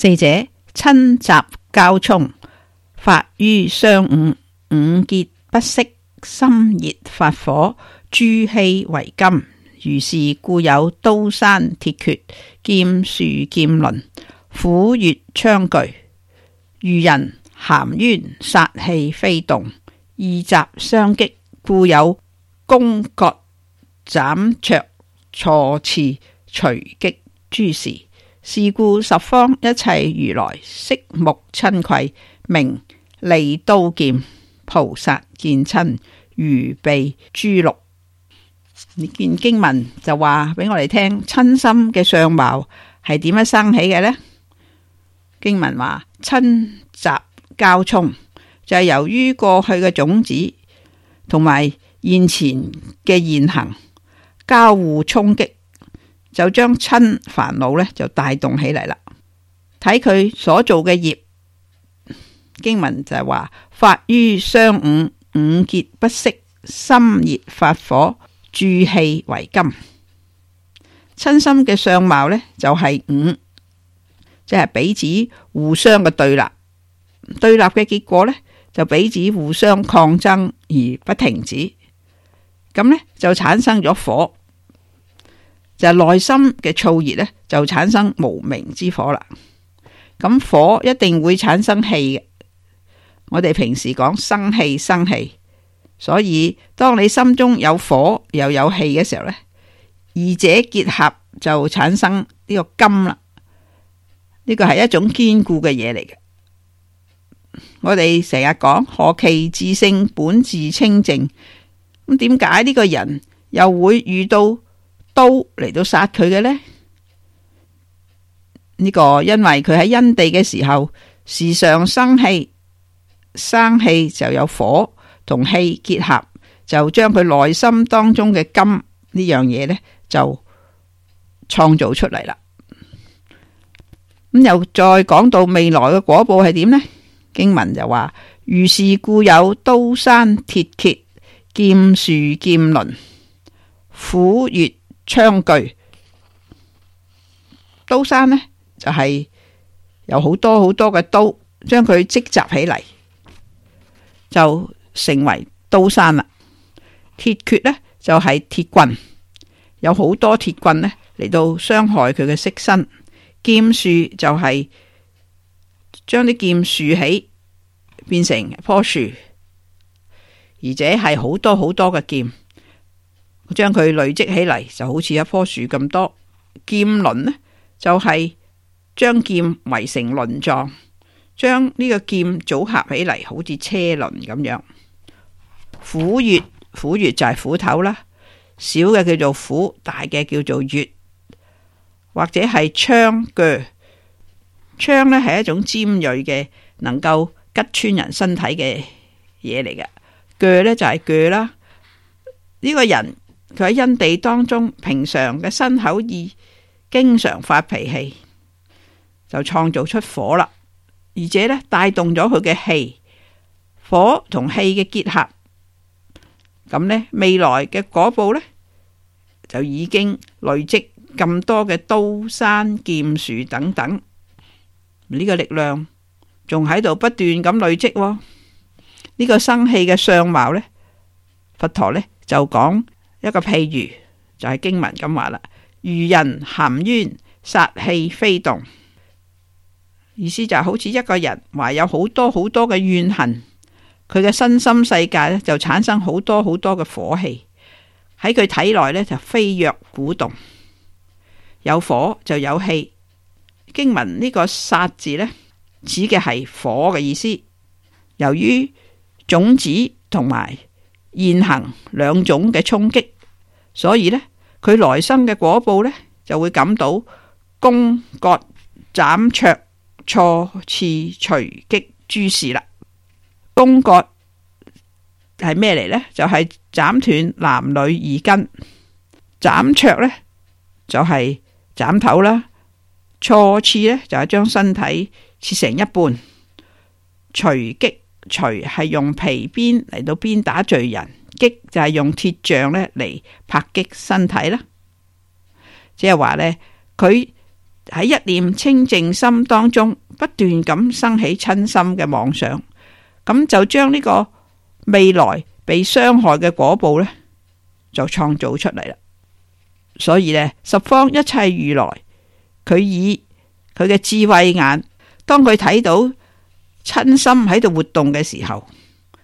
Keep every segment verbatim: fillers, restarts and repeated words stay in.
四者親習交沖，發於商午，五結不息，心熱發火，諸氣為金。如是故有刀山鐵決，劍樹劍輪，斧鉞槍具。遇人含冤，殺氣飛動，二雜相擊，故有弓槓斬卓錯刺隨擊諸事。是故十方一切如來悉目親悸，名利刀劍，菩薩見親，如臂珠鹿。呢件經文就話俾我哋聽，親心嘅相貌係點樣生起嘅呢？經文話親習交沖，就係、是、由於過去嘅種子同埋現前嘅現行交互衝擊，就將親煩惱呢就帶動起嚟啦。睇佢所做嘅業，經文就係話發於商午，五結不息，心熱發火，諸氣為金。親心嘅相貌呢，就係五，即係彼此互相嘅對立，對立嘅結果呢，就彼此互相抗爭而不停止，咁呢，就產生咗火，就係內心嘅燥熱呢，就產生無明之火啦。咁火一定會產生氣嘅，我哋平時講生氣生氣，所以當你心中有火又有氣嘅時候呢，二者結合就產生呢個金啦。呢個係一種堅固嘅嘢嚟嘅。我哋成日講何其自性本自清淨，咁點解呢個人又會遇到刀嚟到殺佢嘅呢？呢、這個因為佢喺因地嘅時候時常生氣，生氣就有火同氣結合，就將佢內心當中嘅金呢樣嘢呢，就創造出嚟啦。咁又再講到未來嘅果報係點呢？經文就話如是故有刀山鐵決，劍樹劍輪，斧鉞槍具。刀山呢，就係、是、有好多好多嘅刀，將佢積集起嚟，就成為刀山啦。鐵決呢，就係、是、鐵棍，有好多鐵棍呢嚟到傷害佢嘅色身。劍樹就係將啲劍豎起變成一棵樹，而且係好多好多嘅劍，將佢累積起嚟就好似一棵樹咁多。劍輪呢，就係將劍圍成輪狀，將呢個劍組合起嚟好似車輪咁樣。斧鉞，斧鉞就係斧頭啦，小嘅叫做斧，大嘅叫做鉞。或者係槍鋸，槍呢係一種尖銳嘅，能夠吉穿人身體嘅嘢嚟嘅。鋸呢就係鋸啦。呢個人佢喺因地當中，平常嘅身口意經常發脾氣，就創造出火啦，而且呢帶動咗佢嘅氣，火同氣嘅結合，咁呢未來嘅果報呢，就已經累積咁多嘅刀山劍樹等等，呢個力量仲喺度不斷咁累積。呢個生氣嘅相貌呢，佛陀呢就講一個譬喻，就係經文咁話啦。遇人含冤，殺氣飛動，意思就係好似一個人懷有好多好多嘅怨恨，佢嘅身心世界呢就產生好多好多嘅火氣，喺佢體內呢就飛躍鼓動。有火就有氣，經文呢個殺字呢，指嘅係火嘅意思。由於種子同埋現行兩種嘅衝擊，所以呢，佢來生嘅果報呢，就會感到弓槓斬卓錯刺隨擊諸事啦。弓槓係咩嚟呢？就係、是、斬斷男女二根，斬卓呢，就係、是斬頭啦，錯刺呢就係將身體切成一半。隨擊，隨係用皮鞭嚟到鞭打罪人，擊就係用鐵杖呢嚟拍擊身體啦。即係話呢，佢喺一念清淨心當中不斷咁生起瞋心嘅妄想，咁就將呢個未來被傷害嘅果報呢，就創造出嚟啦。所以呢，十方一切如來，佢以佢嘅智慧眼，當佢睇到瞋心喺度活動嘅時候，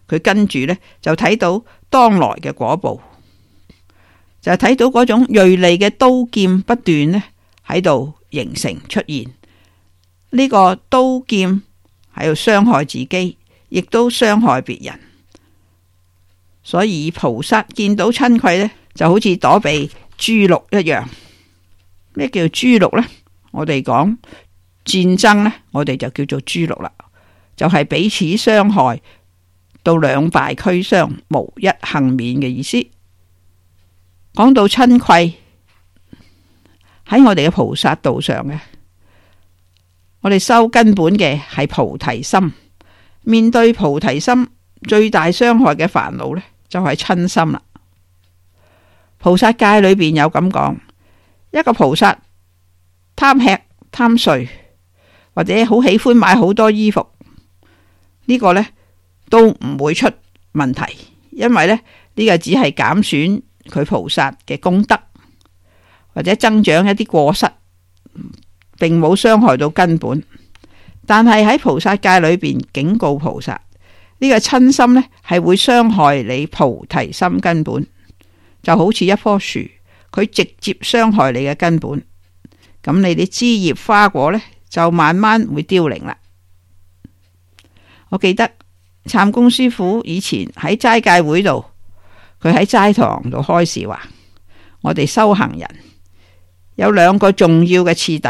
佢跟住呢，就睇到當來嘅果報，就係睇到嗰種銳利嘅刀劍不斷呢喺度形成出現。呢個刀劍喺度傷害自己，亦都傷害別人。所以菩薩見到瞋恚呢，就好似躲避豬犢一樣。咩叫豬犢呢？我哋講戰爭呢，我哋就叫做豬犢啦，就係彼此傷害到兩敗俱傷，無一幸免嘅意思。講到瞋恚喺我哋嘅菩薩道上嘅，我哋修根本嘅係菩提心。面對菩提心最大傷害嘅煩惱呢，就係瞋心啦。菩薩戒裏邊有咁講，一個菩薩貪吃貪睡，或者好喜歡買好多衣服，呢個呢都唔會出問題，因為呢呢個只係減損佢菩薩嘅功德，或者增長一啲過失，並冇傷害到根本。但係喺菩薩戒裏邊警告菩薩，呢個瞋心呢係會傷害你菩提心根本，就好似一棵樹，佢直接傷害你嘅根本，咁你啲枝葉花果呢，就慢慢會凋零啦。我記得懺公師父以前喺齋戒會度，佢喺齋堂度開示話，我哋修行人有兩個重要嘅次第。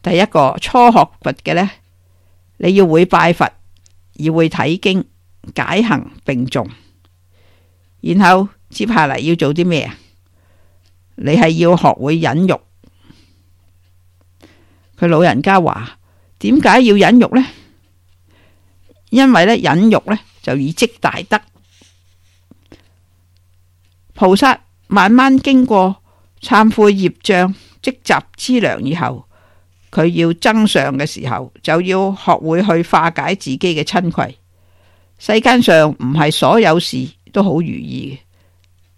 第一個初學佛嘅呢，你要會拜佛，要會睇經，解行並重。然後接下嚟要做啲咩啊？你係要學會忍辱。佢老人家話，點解要忍辱呢？因為咧忍辱呢，就以積大德。菩薩慢慢經過懺悔業障積集資糧以後，佢要增上嘅時候，就要學會去化解自己嘅瞋恚。世間上唔係所有事都好如意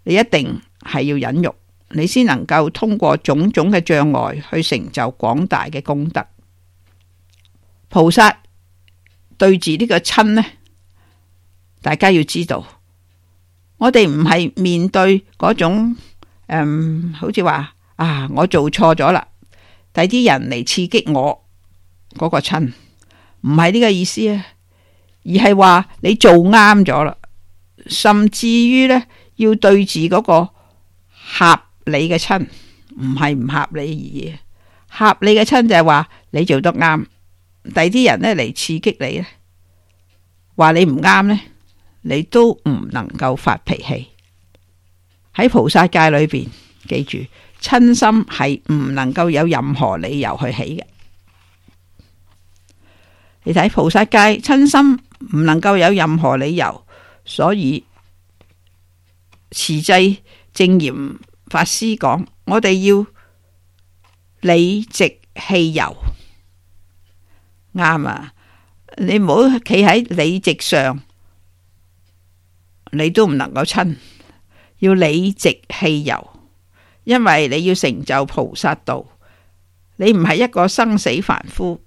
嘅，你一定係要忍辱，你先能夠通過種種嘅障礙去成就廣大嘅功德。菩薩對住呢個瞋呢，大家要知道，我哋唔係面對嗰種誒、嗯，好似話啊，我做錯咗啦，第啲人嚟刺激我嗰、那個瞋，唔係呢個意思啊，而係話你做啱咗啦，甚至於呢，要對治嗰個合理嘅瞋，唔係唔合理而已。合理嘅瞋就係話你做得啱，第啲人呢嚟刺激你咧，話你唔啱呢，你都唔能夠發脾氣。喺菩薩戒裏邊，記住瞋心係唔能夠有任何理由去起嘅。你睇菩薩戒瞋心唔能夠有任何理由，所以持制證嚴法師講，我哋要理直氣柔。啱啊！你唔好企喺理直上，你都唔能夠瞋，要理直氣柔。因為你要成就菩薩道，你唔係一個生死凡夫，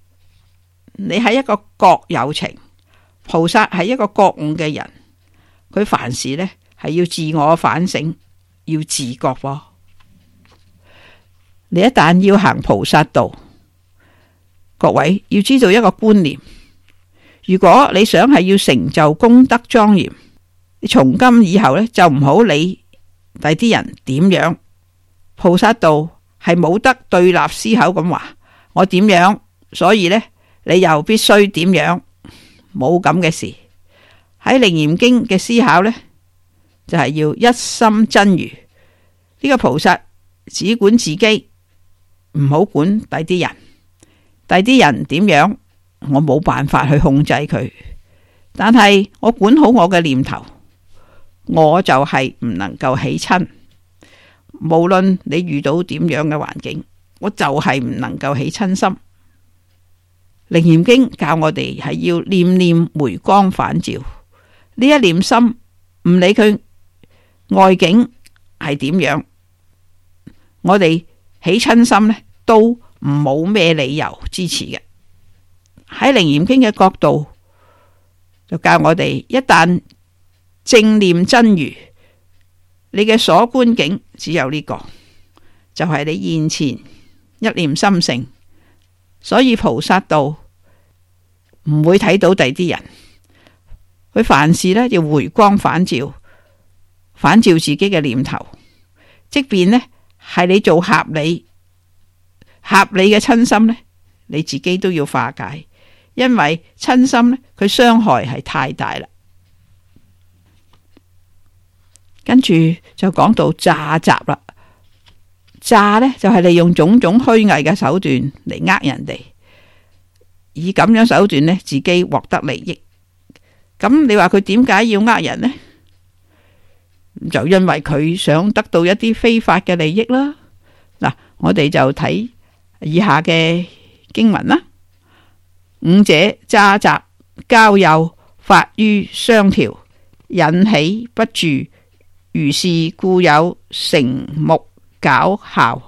你係一個覺有情。菩薩係一個覺悟嘅人，佢凡事呢係要自我反省，要自覺喎。你一旦要行菩薩道，各位要知道一個觀念，如果你想係要成就功德莊嚴，你從今以後呢，就唔好理第啲人點樣。菩薩道係冇得對立思考咁話，我點樣，所以呢，你又必須點樣，冇咁嘅事。喺楞嚴經嘅思考呢，就係要一心真如。呢個菩薩只管自己，唔好管第啲人。第啲人點樣，我冇辦法去控制佢，但係我管好我嘅念頭，我就係唔能夠起瞋。無論你遇到點樣嘅環境，我就係唔能夠起瞋心。楞嚴經教我哋係要念念回光返照，呢一念心唔理佢外境係點樣，我哋起瞋心呢都唔冇咩理由支持嘅。喺楞嚴經嘅角度就教我哋，一旦正念真如，你嘅所觀境只有呢個，就係你現前一念心性。所以菩薩道唔會睇到第啲人，佢凡事呢要回光返照，反照自己嘅念頭，即便呢係你做合理合理嘅瞋心呢，你自己都要化解，因為瞋心呢佢傷害係太大啦。跟住就講到詐集啦，詐呢就係利用種種虛偽嘅手段嚟呃人哋，以咁樣手段呢自己獲得利益。咁你話佢點解要呃人呢？就因為佢想得到一啲非法嘅利益啦。嗱，我哋就睇以下嘅經文啦。五者詐集交誘，發於雙條，引起不住，如是故有成木絞效，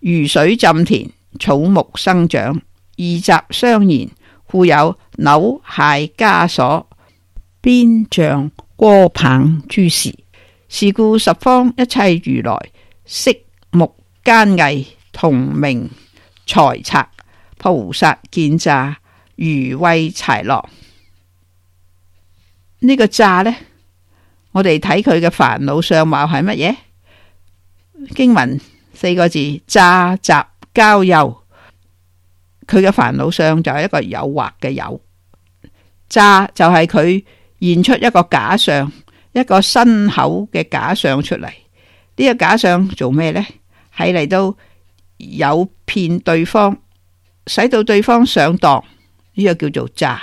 如水浸田，草木生長，二集相延，故有扭械枷鎖，鞭杖戈棒諸事。是故十方一切如來色目奸偽，同名財賊，菩薩見詐，如喂豺狼。呢、這個詐呢，我哋睇佢嘅煩惱相貌係乜嘢？經文四個字：詐集交誘。佢嘅煩惱相就係一個誘惑嘅誘，詐就係佢現出一個假相，一個身口嘅假相出嚟。呢、這個假相做咩呢？係嚟到誘騙對方，使到對方上當，呢、這個叫做詐。